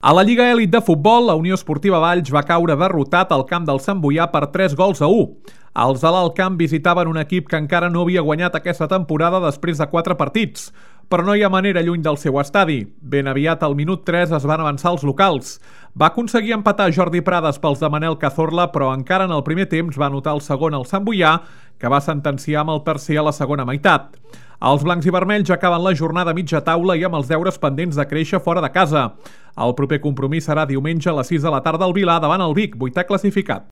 A la Lliga Elit de Futbol, la Unió Esportiva Valls va caure derrotat al camp del Sant Boià per 3-1. Els de l'Alt Camp visitaven un equip que encara no havia guanyat aquesta temporada després de 4 partits, però no hi ha manera lluny del seu estadi. Ben aviat, al minut 3, es van avançar els locals. Va aconseguir empatar Jordi Prades pels de Manel Cazorla, però encara en el primer temps va anotar el segon al Sant Boià, que va sentenciar amb el tercer a la segona meitat. Els blancs i vermells acaben la jornada a mitja taula i amb els deures pendents de créixer fora de casa. El proper compromís serà diumenge a les 6 de la tarda al Vilar davant el Vic, 8è classificat.